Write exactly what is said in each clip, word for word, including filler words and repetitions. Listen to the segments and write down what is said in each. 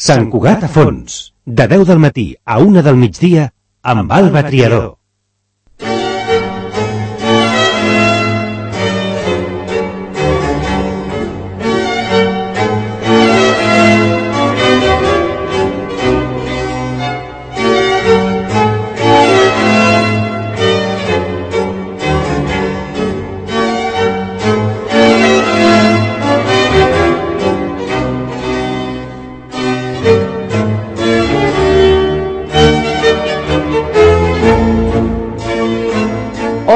Sant Cugat a fons, de deu del matí a una del migdia, amb Alba Triador.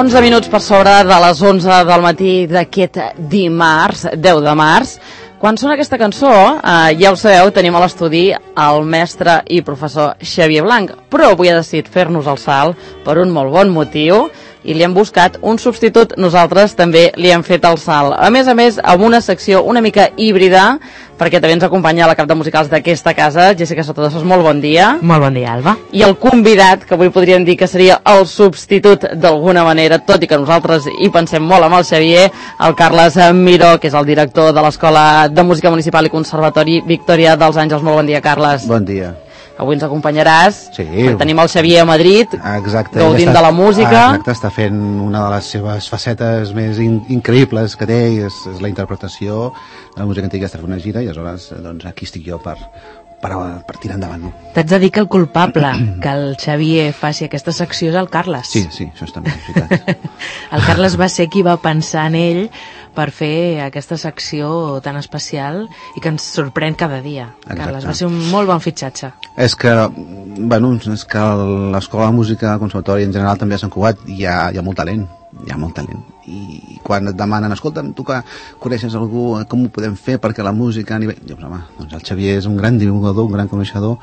onze minuts per sobre de les onze del matí d'aquest dimarts, deu de març. Quan sona aquesta cançó, eh, ja ho sabeu, tenim a l'estudi el mestre i professor Xavier Blanc, però avui ha decidit fer-nos el salt per un molt bon motiu i li hem buscat un substitut. Nosaltres també li hem fet el salt. A més a més, amb una secció una mica híbrida, perquè també ens acompanya la cap de musicals d'aquesta casa, Jessica Sotodosos, molt bon dia. Molt bon dia, Alba. I el convidat, que avui podríem dir que seria el substitut d'alguna manera, tot i que nosaltres hi pensem molt amb el Xavier, el Carles Miró, que és el director de l'Escola de Música Municipal i Conservatori Victòria dels Àngels. Molt bon dia, Carles. Bon dia. Avui ens acompanyaràs. Sí. Tenim el Xavier a Madrid, exacte, gaudint està, de la música. Exacte, està fent una de les seves facetes més in, increïbles que té, i és, és la interpretació de la música antiga. Està fent una gira i aleshores doncs, aquí estic jo per, per, per tirar endavant. No? T'haig de dir que el culpable que el Xavier faci aquesta secció és el Carles. Sí, sí, això està ben veritat. El Carles va ser qui va pensar en ell per fer aquesta secció tan especial i que ens sorprèn cada dia. Exacte. Carles, va ser un molt bon fitxatge. És que, bueno, és que l'Escola de Música, el Conservatori en general també a Sant Cugat hi ha, hi ha molt talent, hi ha molt talent. I quan et demanen, escolta'm, tu que coneixes algú, com ho podem fer perquè la música a nivell... Dius, home, doncs el Xavier és un gran divulgador, un gran coneixedor,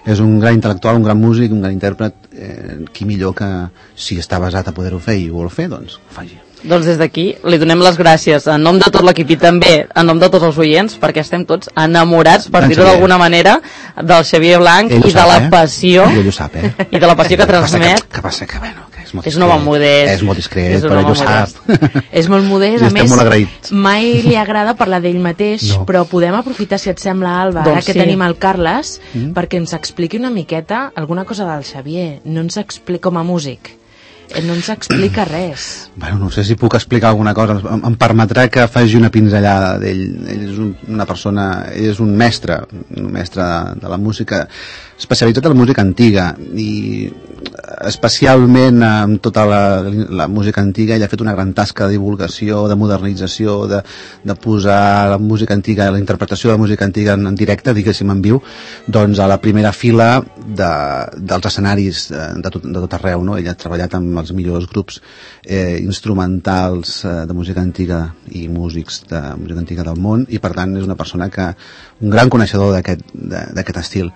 és un gran intel·lectual, un gran músic, un gran intèrpret, eh, qui millor que si està basat a poder-ho fer i ho vol fer, doncs ho faci. Doncs des d'aquí li donem les gràcies en nom de tot l'equip i també en nom de tots els oients, perquè estem tots enamorats, per dir-ho d'alguna manera, del Xavier Blanc i de sap, la eh? passió ell ho sap, eh? i de la passió que transmet. Que passa que, bueno, que és molt és un home modest, és molt discret, però ell ho sap. És molt modest, a més molt mai li agrada parlar d'ell mateix, no. Però podem aprofitar, si et sembla, Alba, doncs ara que sí. Tenim el Carles, mm. perquè ens expliqui una miqueta alguna cosa del Xavier. No ens explica com a músic, no ens explica res. Bueno, no sé si puc explicar alguna cosa. Em, em permetrà que faci una pinzellada d'ell. Ell és un, una persona, ell és un mestre, un mestre de, de la música, especialitzat en la música antiga, i especialment amb tota la, la música antiga. Ell ha fet una gran tasca de divulgació, de modernització, de, de posar la música antiga, la interpretació de la música antiga en, en directe, diguéssim en viu, doncs a la primera fila de, dels escenaris de, de, tot, de tot arreu, no? Ell ha treballat amb els millors grups eh, instrumentals eh, de música antiga i músics de música antiga del món, i per tant és una persona que, un gran coneixedor d'aquest estil.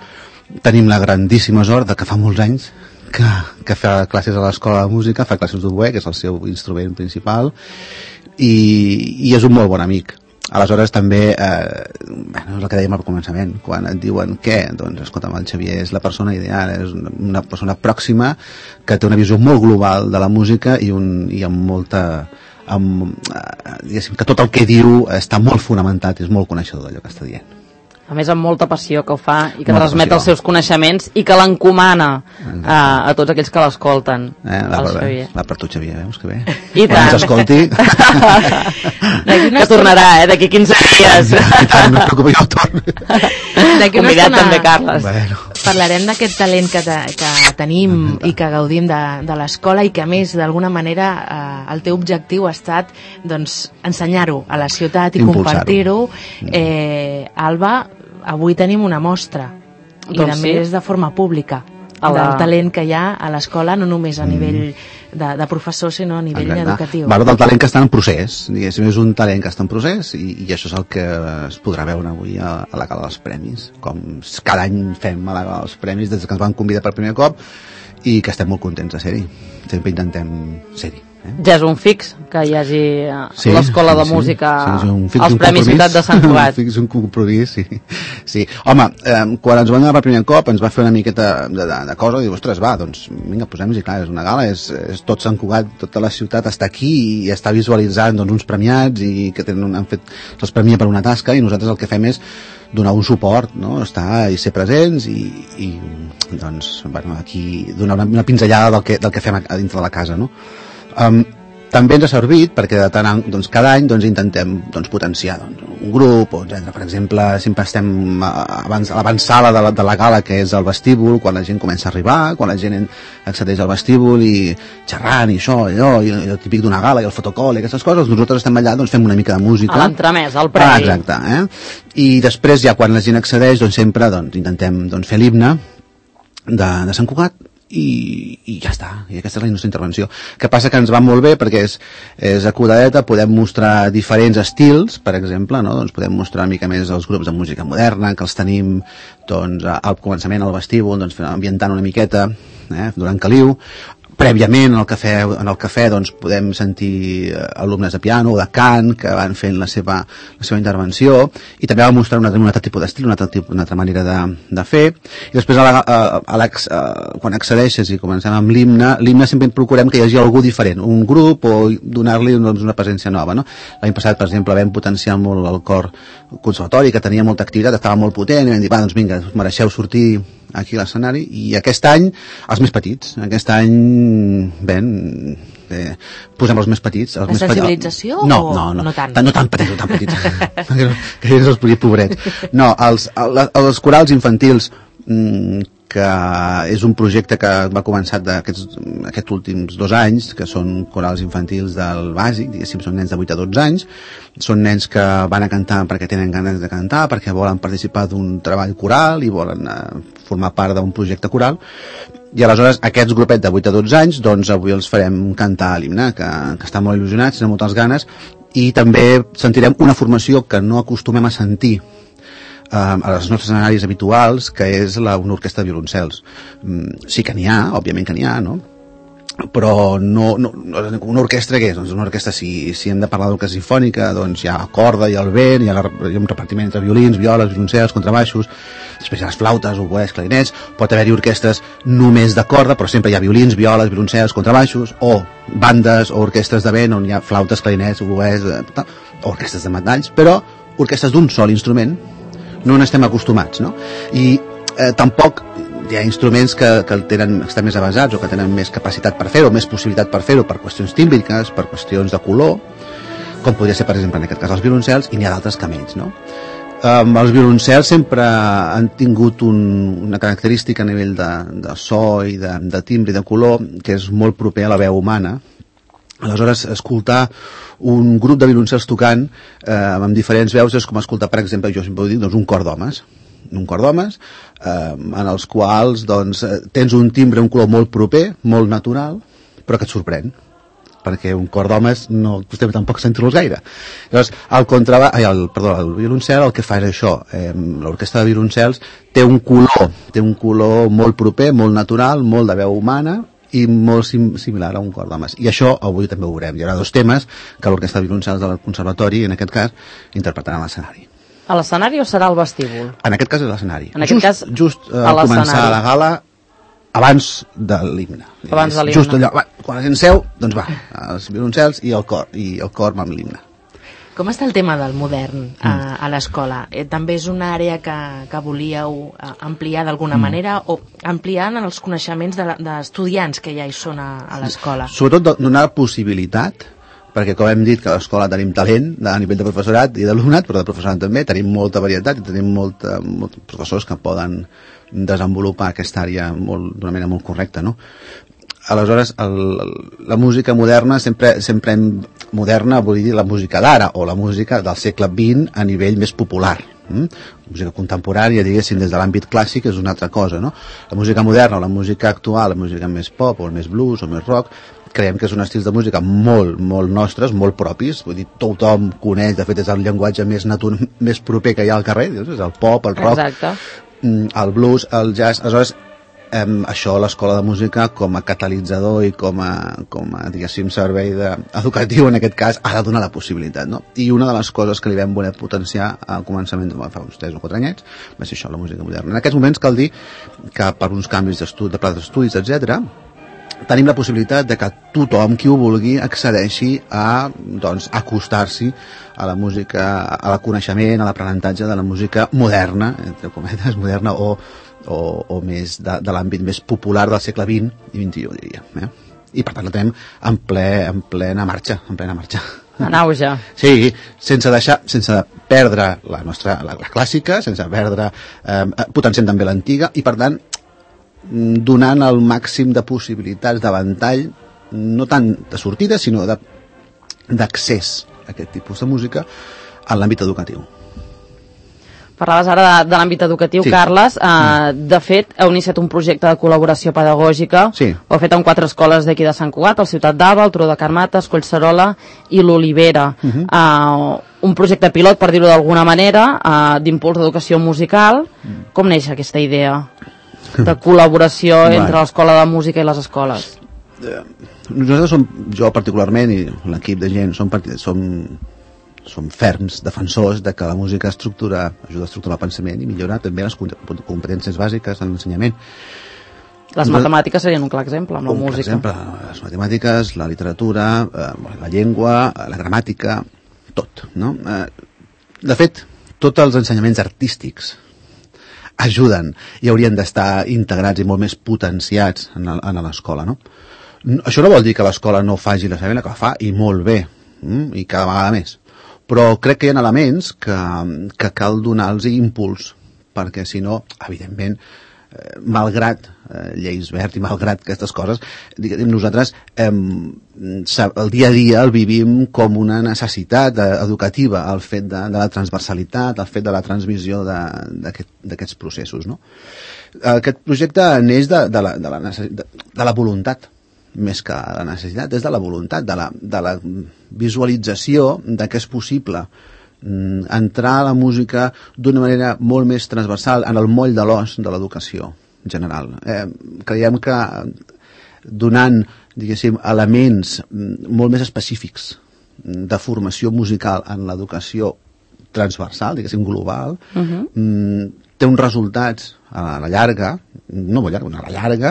Tenim la grandíssima sort de que fa molts anys que, que fa classes a l'Escola de Música, fa classes d'oboè, que és el seu instrument principal, i, i és un molt bon amic. Aleshores també, eh, bueno, és el que dèiem al començament, quan et diuen què, doncs escolta'm, el Xavier és la persona ideal, és una persona pròxima que té una visió molt global de la música i, un, i amb molta, amb, eh, diguéssim que tot el que diu està molt fonamentat, és molt coneixedor d'allò que està dient. A més, amb molta passió que ho fa i que molta transmet passió. Els seus coneixements i que l'encomana a, a tots aquells que l'escolten. Eh, va, va, va per tu, Xavier, veus que bé? I quan ens escolti... que tornarà, eh, d'aquí quinze dies. I tant, no et preocupis, jo torno. Convidat també, Carles. Bueno. Parlarem d'aquest talent que, te, que tenim i que gaudim de, de l'escola i que, a més, d'alguna manera, eh, el teu objectiu ha estat doncs, ensenyar-ho a la ciutat i compartir-ho. Eh, Alba, avui tenim una mostra, i doncs a sí. més de forma pública, la... del talent que hi ha a l'escola, no només a nivell de, de professor, sinó a nivell Exacte. educatiu. Bueno, del talent que està en procés, diguéssim, és un talent que està en procés, i, i això és el que es podrà veure avui a, a la gala dels premis, com cada any fem a la gala dels premis, des que ens van convidar per primer cop, i que estem molt contents de ser-hi. Sempre intentem ser-hi. Eh? Ja és un fix que hi hagi sí, l'Escola sí, de Música sí, sí, fix, als Premis Ciutat de Sant Cugat. Un fix, un compromís, sí. sí. Home, eh, quan ens van donar per primer cop ens va fer una miqueta de, de, de cosa i diu, ostres, va, doncs vinga, posem-hi, clar, és una gala, és, és tot Sant Cugat, tota la ciutat està aquí i està visualitzant doncs, uns premiats i que tenen, han fet, se'ls premia per una tasca i nosaltres el que fem és donar un suport, no? Estar i ser presents i, i doncs, bueno, aquí donar una, una pinzellada del que, del que fem a, a dintre de la casa, no? Um, també ens ha servit perquè de tant, doncs, cada any doncs, intentem doncs, potenciar doncs, un grup, o, etcètera. Per exemple, sempre estem abans, a l'avançada de, la, de la gala, que és el vestíbul, quan la gent comença a arribar, quan la gent accedeix al vestíbul i xerrant i això, i allò, i el típic d'una gala i el fotocol i aquestes coses, nosaltres estem allà, doncs fem una mica de música. A l'entremès, al previ. Ah, exacte, eh? I després ja quan la gent accedeix, doncs sempre doncs, intentem doncs, fer l'himne de, de Sant Cugat, i, i ja està, i aquesta és la nostra intervenció. Que passa que ens va molt bé perquè és, és acudadeta, podem mostrar diferents estils, per exemple, no? Doncs podem mostrar una mica més els grups de música moderna, que els tenim doncs, al començament al vestíbul, doncs, ambientant una miqueta eh, durant caliu. Prèviament en el cafè, en el cafè doncs, podem sentir alumnes de piano o de cant que van fent la seva, la seva intervenció, i també va mostrar un altre, un altre tipus d'estil, una, una altra manera de, de fer. I després a la, a, a la, a, quan accedeixes i comencem amb l'himne, l'himne sempre procurem que hi hagi algú diferent, un grup, o donar-li doncs, una presència nova, no? L'any passat, per exemple, vam potenciar molt el cor conservatori, que tenia molta activitat, estava molt potent, i vam dir, va, doncs vinga, us mereixeu sortir aquí a l'escenari, i aquest any els més petits, aquest any ben, eh, posem els més petits els la més sensibilització petits. No, o no, no, no tant? no tan petits, no tan petits que ells els podia pobrets no, els, els corals infantils mmm, que és un projecte que va començar d'aquests aquests últims dos anys, que són corals infantils del bàsic, diguéssim, són nens de vuit a dotze anys, són nens que van a cantar perquè tenen ganes de cantar, perquè volen participar d'un treball coral i volen eh, formar part d'un projecte coral, i aleshores aquests grupets de vuit a dotze anys, doncs avui els farem cantar l'himne, que, que estan molt il·lusionats, tenen moltes ganes, i també sentirem una formació que no acostumem a sentir a els nostres escenaris habituals, que és la, una orquestra de violoncels. Sí que n'hi ha, òbviament que n'hi ha, no? Però no, no, una orquestra què és? Doncs una orquestra, si, si hem de parlar d'orquestra sinfònica, doncs hi ha corda, hi ha el vent, hi ha, la, hi ha un repartiment entre violins, violes, violoncels, contrabaixos, després hi ha les flautes, oboès, clarinets, pot haver-hi orquestres només de corda, però sempre hi ha violins, violes, violoncels, contrabaixos, o bandes o orquestres de vent on hi ha flautes, clarinets, oboès, o orquestres de metalls, però orquestres d'un sol instrument no n'estem acostumats, no? I eh, tampoc hi ha instruments que, que tenen, estan més avasats o que tenen més capacitat per fer-ho, més possibilitat per fer-ho, per qüestions tímbriques, per qüestions de color, com podria ser, per exemple, en aquest cas els violoncels, i n'hi ha d'altres que menys, no? Um, els violoncels sempre han tingut un, una característica a nivell de, de so i de, de timbre i de color que és molt proper a la veu humana. Aleshores, escoltar un grup de violoncels tocant eh, amb diferents veus és com escoltar, per exemple, jo sempre ho dic, doncs un cor d'homes, un cor d'homes, eh, en els quals doncs, tens un timbre, un color molt proper, molt natural, però que et sorprèn, perquè un cor d'homes no acostem tampoc sentir-los gaire. Llavors, el, contraba, ai, el, perdó, el violoncel el que fa és això, eh, l'orquestra de violoncels té un color, té un color molt proper, molt natural, molt de veu humana, i molt sim similar a un cor d'homes. I això avui també ho veurem. Hi haurà dos temes que l'orquestra de violoncels del conservatori, en aquest cas, interpretaran a l'escenari. A l'escenari o serà al vestíbul? En aquest cas és l'escenari. En aquest just, cas, just eh, al començar la gala, abans de l'himne. Abans de l'himne. Just allò, va, quan la gent seu, doncs va, els violoncels i el cor, i el cor amb l'himne. Com està el tema del modern a, a l'escola? Eh, també és una àrea que, que volíeu ampliar d'alguna mm. manera, o ampliar en els coneixements d'estudiants de, que ja hi són a, a l'escola? Sobretot donar possibilitat, perquè com hem dit que a l'escola tenim talent a nivell de professorat i d'alumnat, però de professorat també, tenim molta varietat i tenim molta, molts professors que poden desenvolupar aquesta àrea d'una manera molt correcta, no? Aleshores, el, la música moderna sempre, sempre hem, moderna vol dir la música d'ara o la música del segle vint a nivell més popular. Mm? La música contemporània, diguéssim, des de l'àmbit clàssic és una altra cosa, no? La música moderna o la música actual, la música més pop o més blues o més rock, creiem que són estils de música molt, molt nostres, molt propis, vull dir, tothom coneix, de fet és el llenguatge més, natur, més proper que hi ha al carrer, és el pop, el rock, exacte. el blues, el jazz. Aleshores, eh, això l'escola de música com a catalitzador i com a, com a diguéssim, servei de, educatiu en aquest cas ha de donar la possibilitat, no? I una de les coses que li vam voler potenciar al començament de fa uns tres o quatre anyets va ser això, la música moderna. En aquests moments cal dir que per uns canvis d'estudi, de pla d'estudis, etcètera, tenim la possibilitat de que tothom qui ho vulgui accedeixi a, doncs, acostar-s'hi a la música, a la coneixement, a l'aprenentatge de la música moderna, entre cometes, moderna o, o, o més de, de l'àmbit més popular del segle vint i vint i u, diria. Eh? I per tant la tenim en, ple, en plena marxa, en plena marxa. En auge. Sí, sense deixar, sense perdre la nostra, la, la clàssica, sense perdre, eh, potenciant també l'antiga, i per tant donant el màxim de possibilitats de ventall, no tant de sortida, sinó d'accés a aquest tipus de música en l'àmbit educatiu. Parlaves ara de, de l'àmbit educatiu, sí. Carles. Uh, de fet, heu iniciat un projecte de col·laboració pedagògica. Sí. Ho heu fet en quatre escoles d'aquí de Sant Cugat, el Ciutat d'Alba, el Turó de Carmates, Collserola i l'Olivera. Uh-huh. uh, un projecte pilot, per dir-ho d'alguna manera, uh, d'impuls d'educació musical. Uh-huh. Com neix aquesta idea de col·laboració entre l'escola de música i les escoles? Nosaltres som, jo particularment i l'equip de gent, som, som, som ferms defensors de que la música estructura, ajuda a estructurar el pensament i millorar també les competències bàsiques en l'ensenyament. Les matemàtiques serien un clar exemple amb la un música. Per exemple, les matemàtiques, la literatura, la llengua, la gramàtica, tot, no? De fet, tots els ensenyaments artístics ajuden i haurien d'estar integrats i molt més potenciats en l'escola, no? Això no vol dir que l'escola no faci la seva feina, que la fa i molt bé, mm? I cada vegada més. Però crec que hi ha elements que, que cal donar-los impuls, perquè si no, evidentment, eh, malgrat eh, lleis verd i malgrat aquestes coses, diguem, nosaltres eh, el dia a dia el vivim com una necessitat educativa, el fet de, de la transversalitat, el fet de la transmissió d'aquests aquest, processos, no? Aquest projecte neix de, de, la, de, la, de, de la voluntat, més que la necessitat, és de la voluntat, de la, de la visualització de que és possible entrar a la música d'una manera molt més transversal en el moll de l'os de l'educació general. Eh, creiem que donant, diguéssim, elements molt més específics de formació musical en l'educació transversal, diguéssim, global, uh-huh. té uns resultats a la llarga, no molt llarga, a la llarga,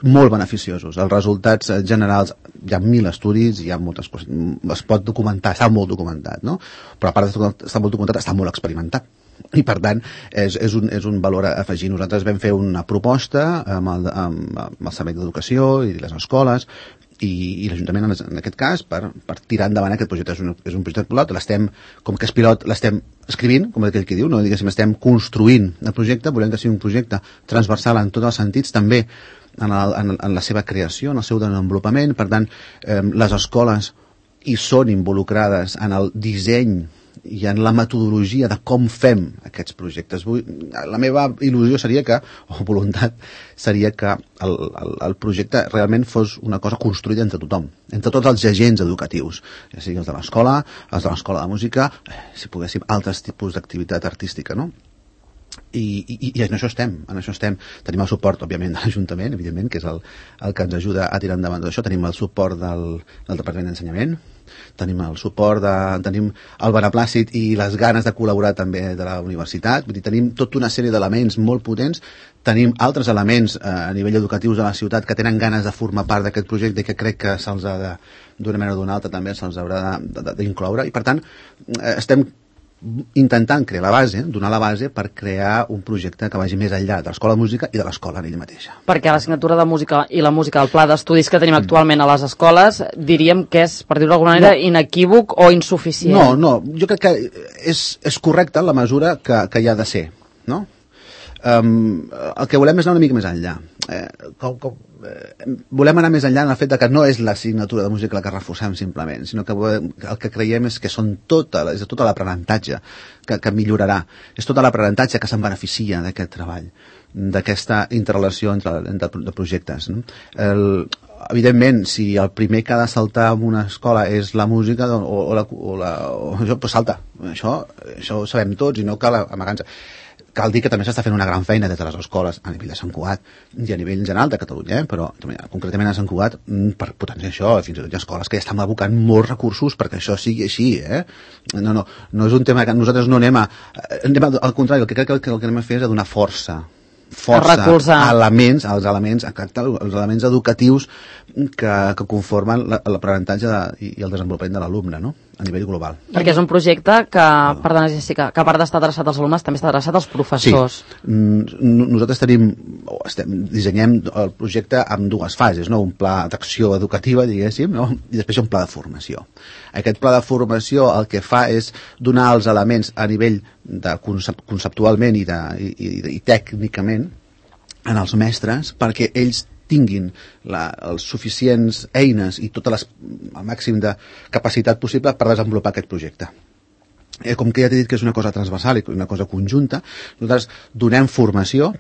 molt beneficiosos. Els resultats generals, hi ha mil estudis, hi ha moltes coses, es pot documentar, està molt documentat, no? Però a part d'estar molt documentat, està molt experimentat. I per tant, és, és, un, és un valor a afegir. Nosaltres vam fer una proposta amb el, amb, amb el Servei d'Educació i les escoles, i, i l'Ajuntament en aquest cas per, per tirar endavant aquest projecte. És un, és un projecte pilot, l'estem, com que és pilot, l'estem escrivint, com aquell que diu, no? Diguéssim, estem construint el projecte, volem que sigui un projecte transversal en tots els sentits, també en, el, en, en la seva creació, en el seu desenvolupament. Per tant, eh, les escoles hi són involucrades en el disseny i en la metodologia de com fem aquests projectes. Vull, la meva il·lusió seria que, o voluntat, seria que el, el, el projecte realment fos una cosa construïda entre tothom, entre tots els agents educatius, ja sigui els de l'escola, els de l'escola de música, si poguéssim, altres tipus d'activitat artística, no? I, i, i en això estem, en això estem. Tenim el suport, òbviament, de l'Ajuntament, evidentment, que és el, el que ens ajuda a tirar endavant tot això. Tenim el suport del, del Departament d'Ensenyament, tenim el suport de, tenim el beneplàcit i les ganes de col·laborar també de la universitat. Vull dir, tenim tota una sèrie d'elements molt potents, tenim altres elements eh, a nivell educatius de la ciutat que tenen ganes de formar part d'aquest projecte i que crec que se'ls ha de, d'una manera o d'una altra també se'ls haurà d'incloure, i per tant eh, estem intentant crear la base, donar la base per crear un projecte que vagi més enllà de l'escola de música i de l'escola en ella mateixa. Perquè l'assignatura de música i la música del pla d'estudis que tenim actualment a les escoles, diríem que és, per dir-ho d'alguna manera, no. inequívoc o insuficient. No, no, jo crec que és, és correcte en la mesura que, que hi ha de ser, no? Um, el que volem és anar una mica més enllà. Eh, com, com, eh, volem anar més enllà en el fet de que no és l'assignatura de música la que reforcem simplement, sinó que volem, el que creiem és que són tota, és tota l'aprenentatge que, que millorarà, és tota l'aprenentatge que se'n beneficia d'aquest treball, d'aquesta interrelació entre, entre de projectes, no? El, evidentment, si el primer que ha de saltar en una escola és la música o, o, la, o, la, o això, pues salta, això, això ho sabem tots i no cal amagar-nos. cal dir que també s'està fent una gran feina des de les escoles a nivell de Sant Cugat i a nivell general de Catalunya, eh? Però concretament a Sant Cugat per potenciar això, fins i tot hi ha escoles que ja estan abocant molts recursos perquè això sigui així, eh? No, no, no és un tema que nosaltres no anem a... Anem a al contrari, el que crec que el que anem a fer és a donar força força a elements, als elements, els elements educatius que, que conformen l'aprenentatge i el desenvolupament de l'alumne, no? A nivell global. Perquè és un projecte que, perdona Jessica, que a part d'estar adreçat als alumnes també està adreçat als professors. Sí, nosaltres tenim, estem, dissenyem el projecte amb dues fases, no? Un pla d'acció educativa, diguéssim, no? I després un pla de formació. Aquest pla de formació el que fa és donar els elements a nivell de concep conceptualment i, de, i, i, i tècnicament en els mestres perquè ells tinguin la, els suficients eines i tota les, el màxim de capacitat possible per desenvolupar aquest projecte. Eh, com que ja t'he dit que és una cosa transversal i una cosa conjunta, nosaltres donem formació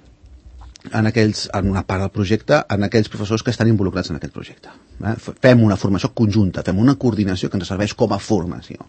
en, aquells, en una part del projecte en aquells professors que estan involucrats en aquest projecte. Eh? Fem una formació conjunta, fem una coordinació que ens serveix com a formació.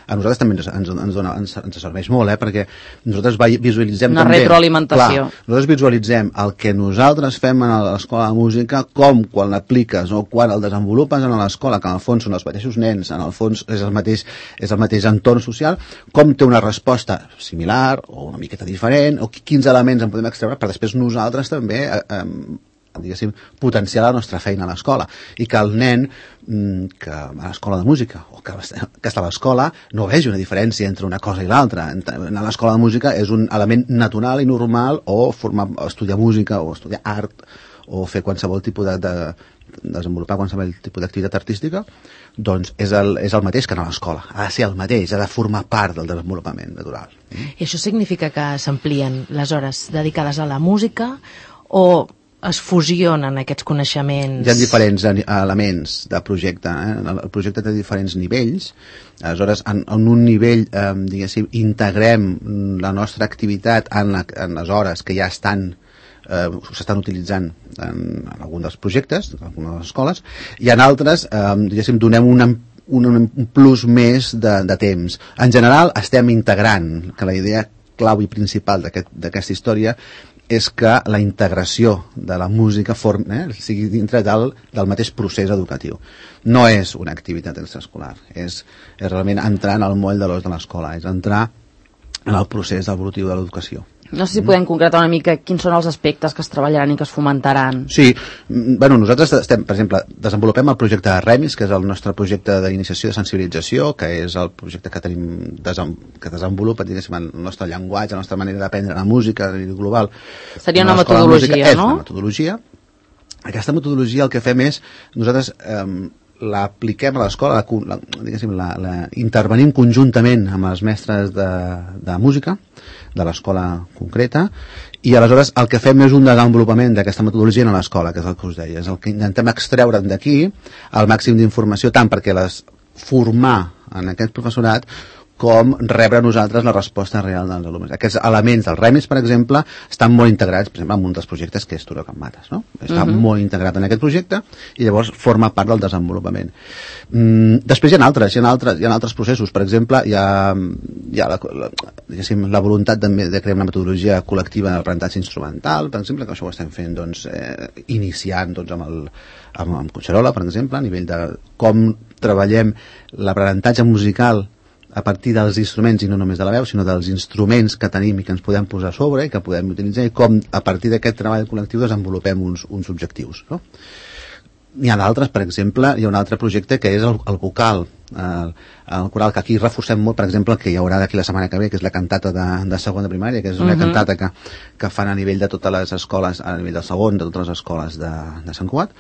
A nosaltres també ens, ens, ens, dona, ens, ens serveix molt, eh? Perquè nosaltres visualitzem una també... Una retroalimentació. Clar, nosaltres visualitzem el que nosaltres fem a l'escola de música, com quan l'apliques o quan el desenvolupes en l'escola, que en el fons són els mateixos nens, en el fons és el mateix, és el mateix entorn social, com té una resposta similar o una miqueta diferent, o quins elements en podem extreure per després nosaltres també... Eh, eh, diguéssim, potenciar la nostra feina a l'escola i que el nen que va a l'escola de música o que, que està a l'escola no vegi una diferència entre una cosa i l'altra. Anar a l'escola de música és un element natural i normal o formar, o estudiar música o estudiar art o fer qualsevol tipus de, de desenvolupar qualsevol tipus d'activitat artística, doncs és el, és el mateix que anar a l'escola. Ha de ser el mateix, ha de formar part del desenvolupament natural. I això significa que s'amplien les hores dedicades a la música o es fusionen aquests coneixements? Hi ha diferents elements de projecte. Eh? El projecte té diferents nivells. Aleshores, en, en un nivell, eh, diguéssim, integrem la nostra activitat en, la, en les hores que ja estan eh, s'estan utilitzant en, en algun dels projectes, en algunes de les escoles, i en altres, eh, diguéssim, donem una un, un plus més de, de temps. En general, estem integrant, que la idea clau i principal d'aquesta aquest, història és que la integració de la música form, eh, sigui dintre del, del mateix procés educatiu. No és una activitat extraescolar, és, és realment entrar en el moll de l'os de l'escola, és entrar en el procés evolutiu de l'educació. No sé si podem concretar una mica quins són els aspectes que es treballaran i que es fomentaran. Sí, bueno, nosaltres estem, per exemple, desenvolupem el projecte de REMIS, que és el nostre projecte d'iniciació de sensibilització, que és el projecte que tenim desem, que desenvolupa, diguéssim, el nostre llenguatge, la nostra manera d'aprendre la música a nivell global. Seria una metodologia, música, no? És una metodologia. Aquesta metodologia el que fem és, nosaltres eh, l'apliquem a l'escola, la, diguéssim, la, la, intervenim conjuntament amb els mestres de, de música, de l'escola concreta, i aleshores el que fem és un desenvolupament d'aquesta metodologia a l'escola, que és el que us deia, és el que intentem extreure d'aquí el màxim d'informació, tant perquè les formar en aquest professorat com rebre nosaltres la resposta real dels alumnes. Aquests elements dels REMIS, per exemple, estan molt integrats, per exemple, en un dels projectes que és Turó Can Mates, no? Està uh-huh. molt integrat en aquest projecte i llavors forma part del desenvolupament. Mm, després hi ha altres, hi ha altres, hi ha altres processos. Per exemple, hi ha, hi ha la, la, diguéssim, la voluntat de, de crear una metodologia col·lectiva d'aprenentatge instrumental, per exemple, que això ho estem fent, doncs, eh, iniciant, doncs, amb el amb, amb Conxerola, per exemple, a nivell de com treballem l'aprenentatge musical a partir dels instruments, i no només de la veu, sinó dels instruments que tenim i que ens podem posar a sobre i que podem utilitzar, i com a partir d'aquest treball col·lectiu desenvolupem uns, uns objectius, no? N'hi ha d'altres, per exemple, hi ha un altre projecte que és el, el vocal, el, el coral, que aquí reforcem molt, per exemple, que hi haurà d'aquí la setmana que ve, que és la cantata de, de segon de primària, que és una uh-huh. cantata que, que fan a nivell de totes les escoles, a nivell del segon, de totes les escoles de, de Sant Cugat.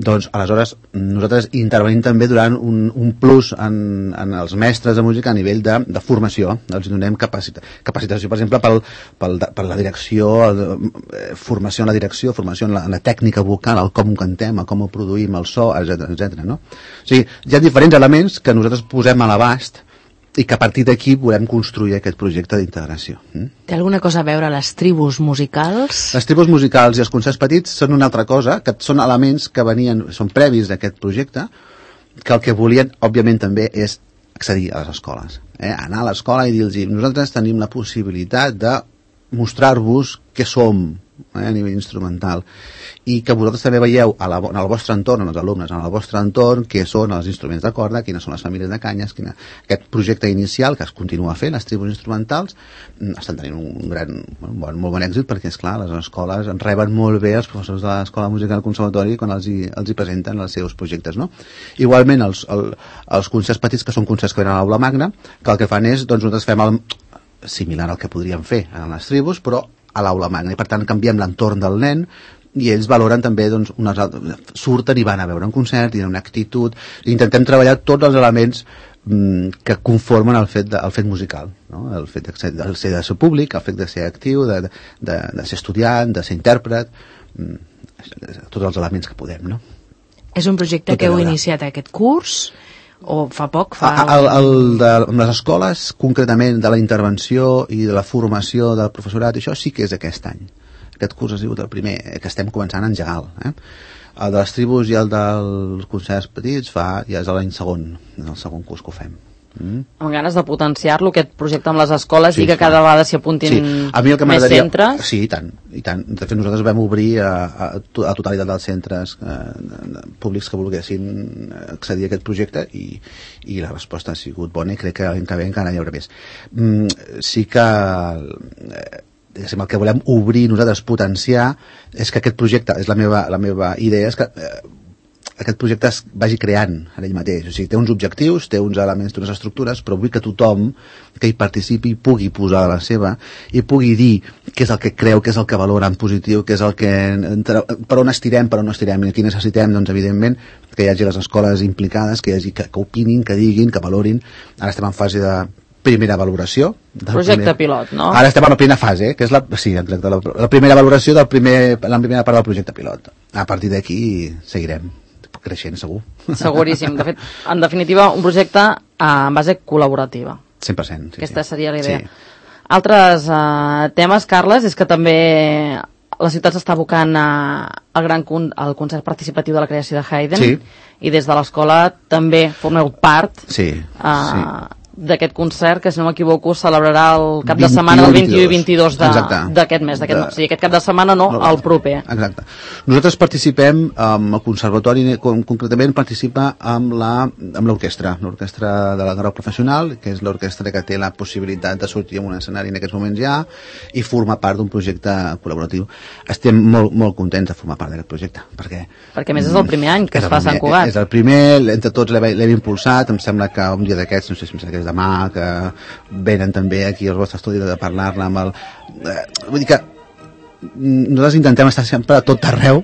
Doncs, aleshores, nosaltres intervenim també durant un, un plus en, en els mestres de música a nivell de, de formació. Els donem capacita, capacitació, per exemple, pel, pel, per la direcció, eh, formació en la direcció, formació en la, en la tècnica vocal, el com ho cantem, el com ho produïm, el so, etcètera, etcètera, no? O sigui, hi ha diferents elements que nosaltres posem a l'abast i que a partir d'aquí volem construir aquest projecte d'integració. Té alguna cosa a veure les tribus musicals? Les tribus musicals i els concerts petits són una altra cosa, que són elements que venien, són previs d'aquest projecte, que el que volien, òbviament, també és accedir a les escoles. Eh? Anar a l'escola i dir-los, nosaltres tenim la possibilitat de mostrar-vos què som, eh, a nivell instrumental, i que vosaltres també veieu a la, en el vostre entorn, en els alumnes, en el vostre entorn, què són els instruments de corda, quines són les famílies de canyes, quina... aquest projecte inicial que es continua fent, les tribus instrumentals, estan tenint un gran, un bon, molt bon èxit, perquè, és clar, les escoles en reben molt bé els professors de l'Escola de Música del Conservatori quan els hi, els hi presenten els seus projectes, no? Igualment, els, el, els concerts petits, que són concerts que venen a l'aula magna, que el que fan és, doncs, nosaltres fem el, similar al que podríem fer en les tribus, però a l'aula magna, i per tant canviem l'entorn del nen, i ells valoren també, doncs, unes altres, surten i van a veure un concert, i una actitud, i intentem treballar tots els elements mm, que conformen el fet, de, el fet musical, no? El fet de ser, de ser, de ser públic, el fet de ser actiu, de, de, de ser estudiant, de ser intèrpret, mm, tots els elements que podem, no? És un projecte Tot que heu iniciat aquest curs, o fa poc? Fa... El, el de les escoles, concretament de la intervenció i de la formació del professorat, això sí que és aquest any. Aquest curs ha sigut el primer que estem començant a engegar. Eh? El de les tribus i el dels concerts petits fa, ja és l'any segon, és el segon curs que ho fem. Mm. Amb ganes de potenciar-lo, aquest projecte amb les escoles, sí, i que clar. Cada vegada s'hi apuntin sí. A mi el que més centres. Sí, i tant, i tant. De fet, nosaltres vam obrir a, a, a totalitat dels centres eh, públics que volguessin accedir a aquest projecte, i, i la resposta ha sigut bona, i crec que l'any que ve encara hi haurà més. Mm, sí que eh, el que volem obrir nosaltres, potenciar, és que aquest projecte, és la meva, la meva idea, és que eh, aquest projecte es vagi creant en ell mateix. O sigui, té uns objectius, té uns elements, té unes estructures, però vull que tothom que hi participi pugui posar la seva i pugui dir què és el que creu, què és el que valora en positiu, què és el que... per on estirem, per on no estirem, i aquí necessitem, doncs, evidentment, que hi hagi les escoles implicades, que hi hagi que, que opinin, que diguin, que valorin. Ara estem en fase de primera valoració. Projecte primer... pilot, no? Ara estem en la primera fase, que és la, sí, exacte, la, la primera valoració del primer, la primera part del projecte pilot. A partir d'aquí seguirem creixent, segur. Seguríssim. De fet, en definitiva, un projecte en base col·laborativa. cent per cent. Sí, Aquesta sí. seria la idea. Sí. Altres uh, temes, Carles, és que també la ciutat s'està abocant al gran con al concert participatiu de la creació de Haydn, sí. I des de l'escola també formeu part sí, uh, sí. d'aquest concert, que si no m'equivoco celebrarà el cap de setmana del vint-i-u i vint-i-dos d'aquest mes, de... o sigui, aquest cap de setmana no, no el proper. Exacte. Nosaltres participem, um, el conservatori com, concretament participa amb l'orquestra, l'orquestra de la grau professional, que és l'orquestra que té la possibilitat de sortir en un escenari en aquests moments ja, i formar part d'un projecte col·laboratiu. Estem molt, molt contents de formar part d'aquest projecte, perquè... Perquè més és el primer any que es fa a Sant Cugat. És el primer, entre tots l'hem impulsat, em sembla que un dia d'aquests, no sé si em sembla que és demà, que venen també aquí al vostre estudi de parlar-ne amb el... Eh, vull dir que nosaltres intentem estar sempre a tot arreu,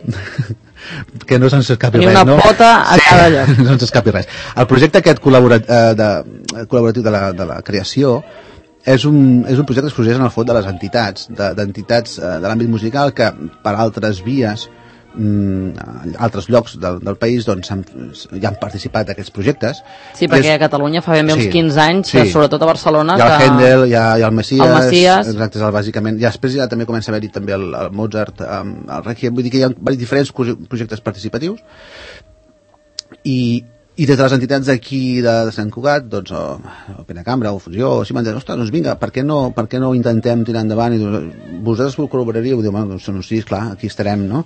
que no se'ns escapi res, no? Ni una pota a sí, cada lloc. No se'ns escapi res. El projecte aquest col·laborat, eh, de, col·laboratiu de la, de la creació és un, és un projecte que es processa en el fons de les entitats, d'entitats de, de l'àmbit musical que per altres vies, mm, altres llocs del, del país, doncs han, ja han participat d'aquests projectes. Sí, perquè és, a Catalunya fa ben bé uns sí, quinze anys, sí. Sobretot a Barcelona... Hi ha el que... Händel, hi ha, hi ha el Messias... El Messias... Exacte, és el, bàsicament. Ja després ja també comença a haver-hi també el, el Mozart, el Requiem, vull dir que hi ha diferents projectes participatius, i i des de les entitats d'aquí de, de Sant Cugat, doncs, o, o Pena Cambra, o Fusió, o si m'han dit, ostres, doncs vinga, per què no, per què no intentem tirar endavant? I vosaltres col·laboraríeu? Diu, bueno, doncs, sí, clar, aquí estarem, no?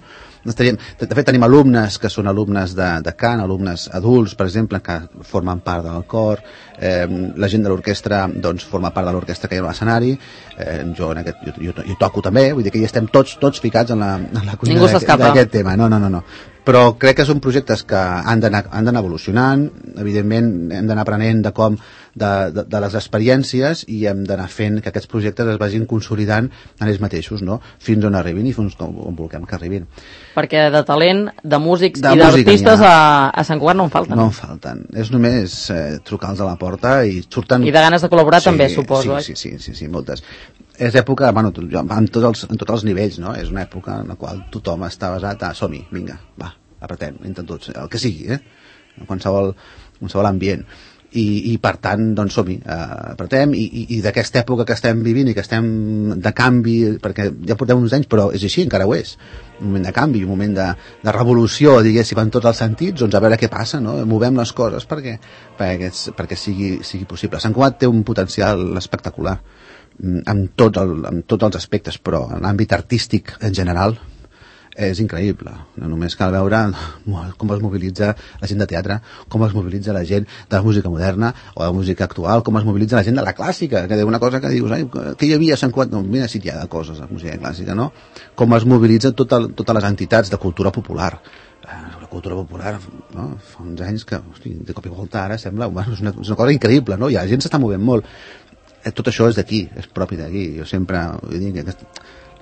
Estaríem, de fet, tenim alumnes que són alumnes de, de cant, alumnes adults, per exemple, que formen part del cor, eh, la gent de l'orquestra doncs, forma part de l'orquestra que hi ha a l'escenari, eh, jo, en aquest, jo, jo, jo toco també, vull dir que hi estem tots, tots ficats en la, en la cuina d'aquest tema. No, no, no, no. Però crec que són projectes que han d'anar evolucionant, evidentment hem d'anar aprenent de com, de, de, de les experiències, i hem d'anar fent que aquests projectes es vagin consolidant en ells mateixos, no? Fins on arribin i fins on vulguem que arribin. Perquè de talent, de músics de i d'artistes a, a Sant Cugat no en falten. No en falten. És només eh, trucar-los a la porta i surten... I de ganes de col·laborar sí, també, suposo. Sí, sí, sí, sí, sí, moltes. És època, bueno, en tots els, en tots els nivells, no? És una època en la qual tothom està basat a som-hi, vinga, va, apretem, intentem tots, el que sigui, eh? En qualsevol, qualsevol ambient. I, i per tant, doncs som-hi, eh, apretem, i, i, i d'aquesta època que estem vivint i que estem de canvi, perquè ja portem uns anys, però és així, encara ho és, un moment de canvi, un moment de, de revolució, diguéssim, en tots els sentits, doncs a veure què passa, no? Movem les coses perquè, perquè, perquè sigui, sigui possible. Sant Cugat té un potencial espectacular. amb, tot el, amb tots els aspectes, però en l'àmbit artístic en general és increïble. No només cal veure com es mobilitza la gent de teatre, com es mobilitza la gent de la música moderna o de la música actual, com es mobilitza la gent de la clàssica, que és una cosa que dius, ai, que hi havia a Sant Cugat? No, mira si hi ha de coses a la música clàssica, no? Com es mobilitza tota, totes les entitats de cultura popular. La cultura popular, no? Fa uns anys que, hosti, de cop i volta ara sembla, bueno, és, una, és una cosa increïble, no? I la gent s'està movent molt. Tot això és d'aquí, és propi d'aquí. Jo sempre vull dir que aquest...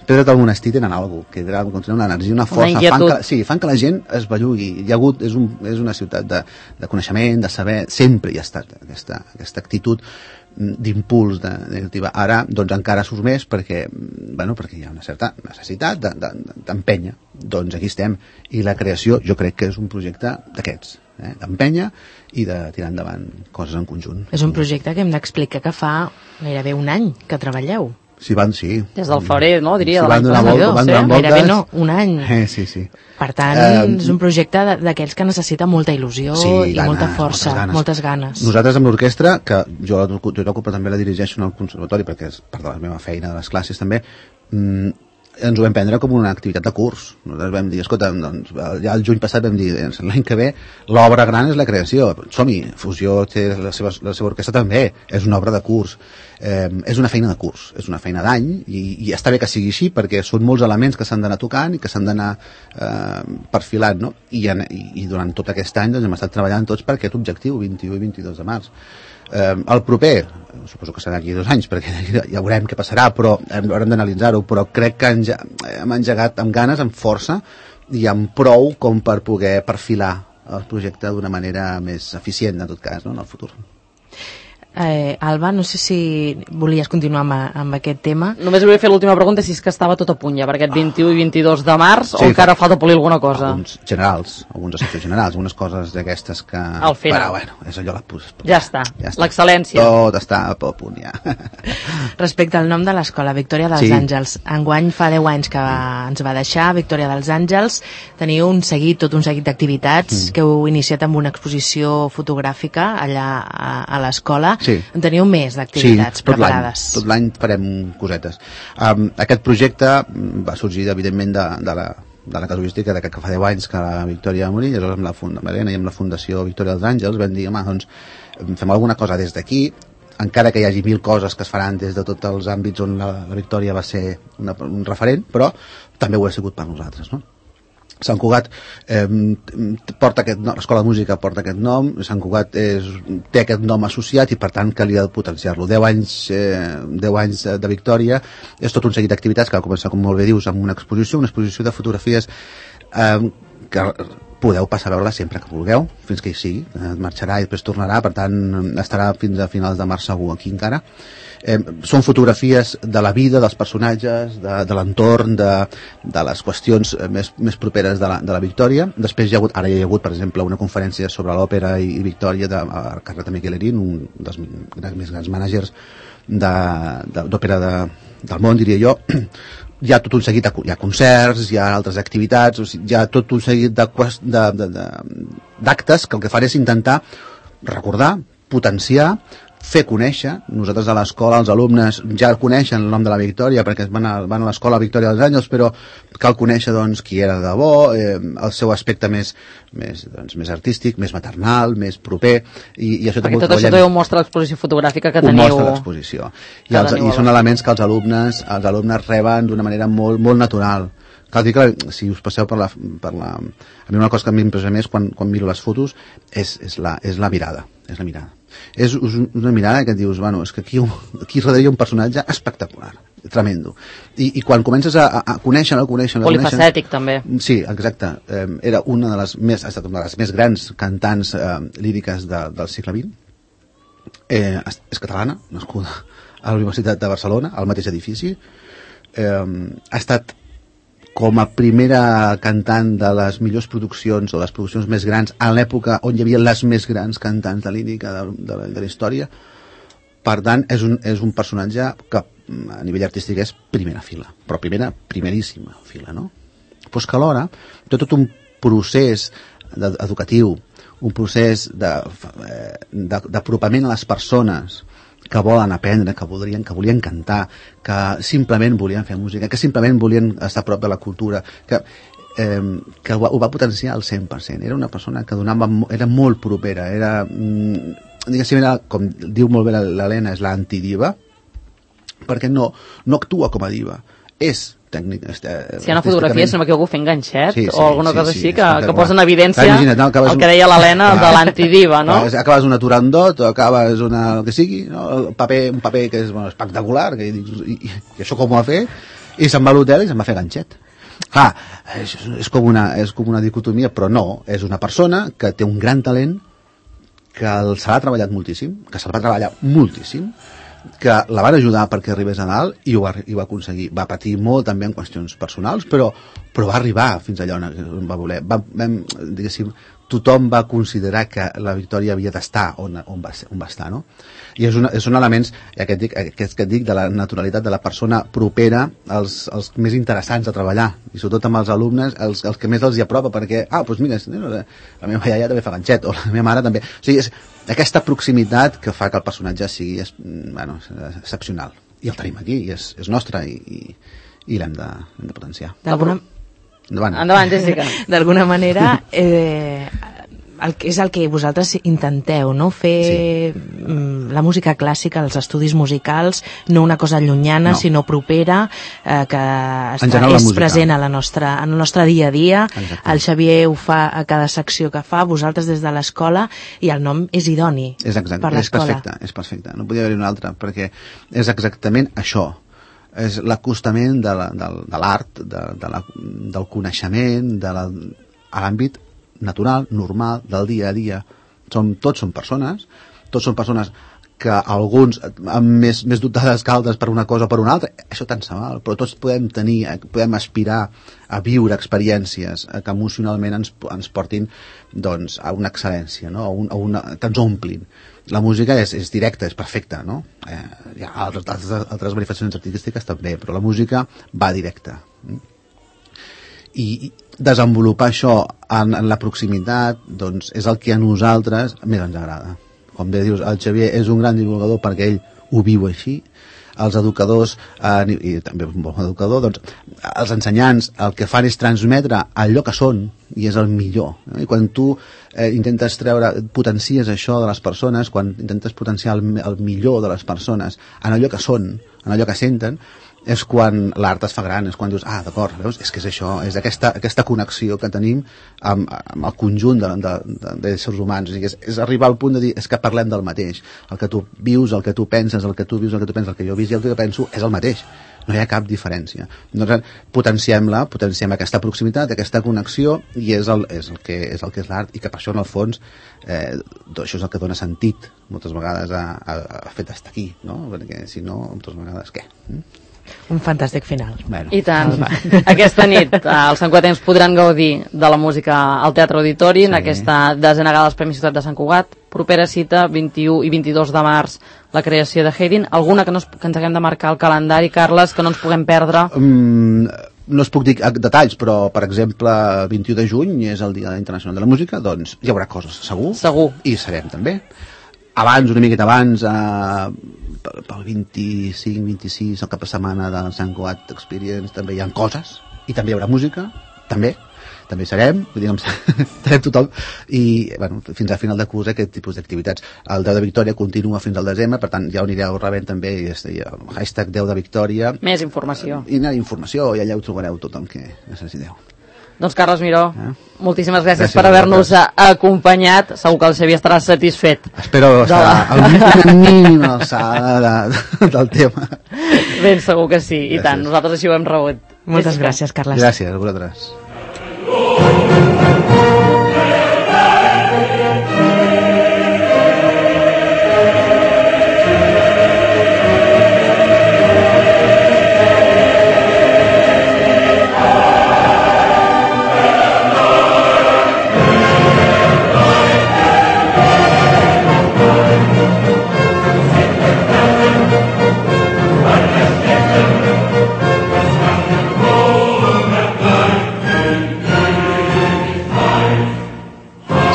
Pedres del monestir tenen alguna cosa, que tenen una energia, una força, una fan que, sí, fan que la gent es bellugui. Hi ha hagut, és, un, és una ciutat de, de coneixement, de saber, sempre hi ha estat aquesta, aquesta actitud d'impuls de, negativa. Ara, doncs, encara surt més perquè, bueno, perquè hi ha una certa necessitat d'empènyer. De, de, doncs aquí estem. I la creació, jo crec que és un projecte d'aquests, eh? D'empènyer i de tirar endavant coses en conjunt. És un projecte que hem d'explicar que fa gairebé un any que treballeu. Sí, van, sí. Des del febrer, no? Diria, sí, de l'any passat. Van donar voltes. Gairebé no, un any. Eh, sí, sí. Per tant, eh, és un projecte d'aquells que necessita molta il·lusió sí, i ganes, molta força, moltes ganes. moltes ganes. Nosaltres amb l'orquestra, que jo l'ocupa també la dirigeixo en el conservatori, perquè és part de la meva feina, de les classes també, mmm, ens ho vam prendre com una activitat de curs. Nosaltres vam dir, escolta, doncs, ja el juny passat vam dir, l'any que ve l'obra gran és la creació. Som-hi, Fusió té la seva, la seva orquestra també, és una obra de curs. Eh, és una feina de curs, és una feina d'any i, i està bé que sigui així perquè són molts elements que s'han d'anar tocant i que s'han d'anar eh, perfilant, no? I, en, i, i durant tot aquest any doncs, hem estat treballant tots per aquest objectiu, vint-i-u i vint-i-dos de març. Eh, el proper, suposo que serà aquí dos anys perquè ja veurem què passarà, però haurem d'analitzar-ho, però crec que enge hem engegat amb ganes, amb força i amb prou com per poder perfilar el projecte d'una manera més eficient en tot cas, no? En el futur. Eh, Alba, no sé si volies continuar amb, amb aquest tema. Només volia fer l'última pregunta, si és que estava tot a punt ja per aquest vint-i-u i vint-i-dos de març, sí, o encara fa... falta polir alguna cosa? Alguns generals, alguns aspectes generals, algunes coses d'aquestes que... Al final. Però, bueno, és allò la pus... Ja està, ja està. L'excel·lència. Tot està a punt, ja. Respecte al nom de l'escola, Victòria dels sí. Àngels, enguany fa deu anys que va, ens va deixar, Victòria dels Àngels, teniu un seguit, tot un seguit d'activitats mm. que heu iniciat amb una exposició fotogràfica allà a, a l'escola. Sí. En teniu més d'activitats sí, preparades. Tot l'any farem cosetes. Um, aquest projecte va sorgir, evidentment, de, de, la, de la casuística de que, que fa deu anys que la Victòria va morir, llavors amb la, funda, Marena, i amb la Fundació Victòria dels Àngels vam dir, home, doncs, fem alguna cosa des d'aquí, encara que hi hagi mil coses que es faran des de tots els àmbits on la, la Victòria va ser una, un referent, però també ho ha sigut per nosaltres, no? Sant Cugat eh, porta aquest nom, l'Escola de Música porta aquest nom, Sant Cugat és, té aquest nom associat i per tant calia potenciar-lo. deu anys, eh, deu anys de Victòria, és tot un seguit d'activitats que va començar, com molt bé dius, amb una exposició, una exposició de fotografies eh, que podeu passar a veure-la sempre que vulgueu, fins que hi sigui, eh, marxarà i després tornarà, per tant estarà fins a finals de març segur aquí encara. Eh, són fotografies de la vida, dels personatges, de, de l'entorn, de, de les qüestions més, més properes de la, de la Victòria. Després hi ha hagut, ara hi ha hagut, per exemple, una conferència sobre l'òpera i, i Victòria de Carlota Miquelerín, un dels més grans mànagers d'òpera de, de, del món, diria jo. Hi ha tot un seguit, hi ha concerts, hi ha altres activitats, o sigui, hi ha tot un seguit d'actes que el que fan és intentar recordar, potenciar, fer conèixer. Nosaltres a l'escola, els alumnes ja coneixen el nom de la Victòria perquè van a, van a l'escola Victòria dels Àngels, però cal conèixer doncs, qui era de bo, eh, el seu aspecte més, més, doncs, més artístic, més maternal, més proper. I, i això perquè tot això també ho mostra l'exposició fotogràfica que ho teniu. Ho mostra l'exposició. I, els, i són elements que els alumnes, els alumnes reben d'una manera molt, molt natural. Cal dir que si us passeu per la, per la... A mi una cosa que m'impressiona més quan, quan miro les fotos és, és, la, és la mirada. És la mirada. És una mirada que et dius, bueno, és que aquí, aquí darrere hi ha un personatge espectacular, tremendo. I, i quan comences a, a conèixer-lo, a conèixer-lo... Polifacètic, també. Sí, exacte. Eh, era una de les més, ha estat una de les més grans cantants eh, líriques de, del segle vint. Eh, és catalana, nascuda a la Universitat de Barcelona, al mateix edifici. Eh, ha estat com a primera cantant de les millors produccions o les produccions més grans a l'època on hi havia les més grans cantants de lírica de, de, la, de la història. Per tant, és un, és un personatge que a nivell artístic és primera fila, però primera, primeríssima fila, no? Pues que alhora té tot un procés educatiu, un procés d'apropament a les persones que volen aprendre, que voldrien, que volien cantar, que simplement volien fer música, que simplement volien estar a prop de la cultura, que, eh, que ho, ho va potenciar al cent per cent. Era una persona que donava, era molt propera, era, mm, diguéssim, era, com diu molt bé l'Helena, és l'antidiva, perquè no, no actua com a diva, és tècnic. Este, si hi ha una fotografia, si no m'equivoco, fent ganxet sí, sí, o alguna sí, cosa sí, així sí, que, que posa en evidència imagina't, no, el que deia l'Helena de l'antidiva, no? Acabes una Turandot o acabes una... el que sigui, no? El paper, un paper que és bueno, espectacular, que dic, i, i, i això com ho ha fet? I se'n va a l'hotel i se'n va fer ganxet. Clar, és, és, com una, és com una dicotomia, però no, és una persona que té un gran talent, que se l'ha treballat moltíssim, que se'l va treballar moltíssim, que la van ajudar perquè arribés a dalt i ho va, i ho va aconseguir. Va patir molt també en qüestions personals, però, però va arribar fins allà on va voler. Va, vam, diguéssim, tothom va considerar que la Victòria havia d'estar on, on, va, on va estar, no? I és una, són elements, aquest, dic, aquest que et dic, de la naturalitat de la persona propera, els, els més interessants a treballar, i sobretot amb els alumnes, els, els que més els hi apropa, perquè, ah, doncs mira, la meva iaia també fa ganxet, o la meva mare també. O sigui, és aquesta proximitat que fa que el personatge sigui, és, bueno, excepcional. I el tenim aquí, i és, és nostre, i, i, i l'hem de, de potenciar. D'alguna... Endavant. Endavant, Jessica. D'alguna manera, eh, el que és el que vosaltres intenteu, no? Fer sí. la música clàssica, els estudis musicals, no una cosa llunyana, no. sinó propera, eh, que està, és present a la nostra, en el nostre dia a dia. Exacte. El Xavier ho fa a cada secció que fa, vosaltres des de l'escola, i el nom és idoni és exacte, per l'escola. És perfecte, és perfecte. No podia haver-hi un altre, perquè és exactament això. És l'acostament de l'art, de, de la, del coneixement, de la, a l'àmbit natural, normal, del dia a dia. Som, tots són persones, tots són persones que alguns amb més, més dotades que altres per una cosa o per una altra, això tant se val, però tots podem tenir, podem aspirar a viure experiències que emocionalment ens, ens portin doncs, a una excel·lència, no? a un, a una, que ens omplin. La música és, és directa, és perfecta, no? Eh, hi ha altres, altres, altres manifestacions artístiques també, però la música va directa. I desenvolupar això en, en la proximitat doncs, és el que a nosaltres més ens agrada. Com bé dius, el Xavier és un gran divulgador perquè ell ho viu així. Els educadors, eh, i també un bon educador, doncs, els ensenyants el que fan és transmetre allò que són, i és el millor. Eh? I quan tu eh, intentes treure, potencies això de les persones, quan intentes potenciar el, el millor de les persones en allò que són, en allò que senten, és quan l'art es fa gran, és quan dius, ah, d'acord, veus, és que és això, és aquesta, aquesta connexió que tenim amb, amb el conjunt de, de, de, d'éssers humans, o sigui, és, és arribar al punt de dir, és que parlem del mateix, el que tu vius, el que tu penses, el que tu vius, el que tu penses, el que jo visc i el que jo penso és el mateix, no hi ha cap diferència. Nosaltres potenciem-la, potenciem aquesta proximitat, aquesta connexió, i és el, és el, que, és el que és l'art, i que per això, en el fons, eh, això és el que dona sentit, moltes vegades, a, a, a fet d'estar aquí, no? Perquè, si no, moltes vegades, què? Mm? Un fantàstic final. Bueno, I tant. Aquesta nit els santcugatencs podran gaudir de la música al Teatre Auditori, sí. en aquesta desena gala dels Premis Ciutat de Sant Cugat. Propera cita, vint-i-u i vint-i-dos de març, la creació de Haydn. Alguna que, no es, que ens haguem de marcar al calendari, Carles, que no ens puguem perdre? Mm, no us puc dir detalls, però, per exemple, vint-i-u de juny és el Dia Internacional de la Música, doncs hi haurà coses, segur. Segur. I serem també. Abans, una miqueta abans, eh, pel vint-i-cinc vint-i-sis, el cap de setmana del Sant Cugat Experience, també hi ha coses, i també hi haurà música, també, també serem, vull dir, serem tothom, i bueno, fins a final de curs aquest tipus d'activitats. El deu de Victòria continua fins al desembre, per tant ja ho anireu rebent també, i el hashtag deu de Victòria. Més informació. I hi ha informació, i allà ho trobareu tot el que necessiteu. Doncs Carles Miró, eh? moltíssimes gràcies, gràcies per haver-nos acompanyat. Segur que el Xavier estarà satisfet. Espero estar al mínim alçada de, de, del tema. Ben segur que sí, gràcies. I tant, nosaltres així ho hem rebut. Moltes gràcies, Carles. Gràcies a vosaltres.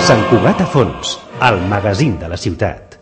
Sant Cugat a fons, el magazín de la ciutat.